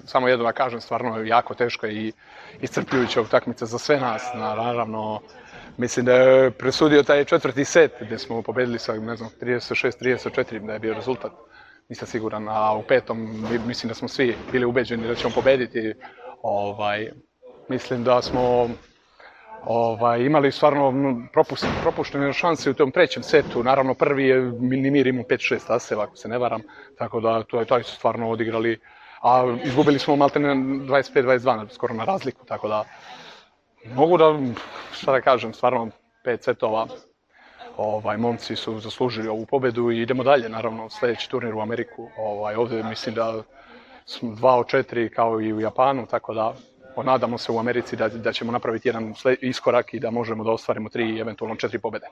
Samo jedno da kažem, stvarno je jako teško i iscrpljujuća utakmica za sve nas. Naravno, mislim da je presudio taj četvrti set gdje smo pobedili sa, ne znam, 36-34, da je bio rezultat. Nisam siguran, a u petom mislim da smo svi bili ubeđeni da ćemo pobediti. Mislim da smo imali stvarno propuštene šanse u tom trećem setu. Naravno, prvi je Minimir imao 5-6 aseva, ako se ne varam, tako da to su stvarno odigrali. A izgubili smo maltene 25-22, skoro na razliku, tako da mogu da, šta da kažem, stvarno 5 setova. Momci su zaslužili ovu pobedu i idemo dalje, naravno, sljedeći turnir u Ameriku. Ovdje mislim da smo 2 od 4 kao i u Japanu, tako da nadamo se u Americi da ćemo napraviti jedan iskorak i da možemo da ostvarimo 3, eventualno 4 pobede.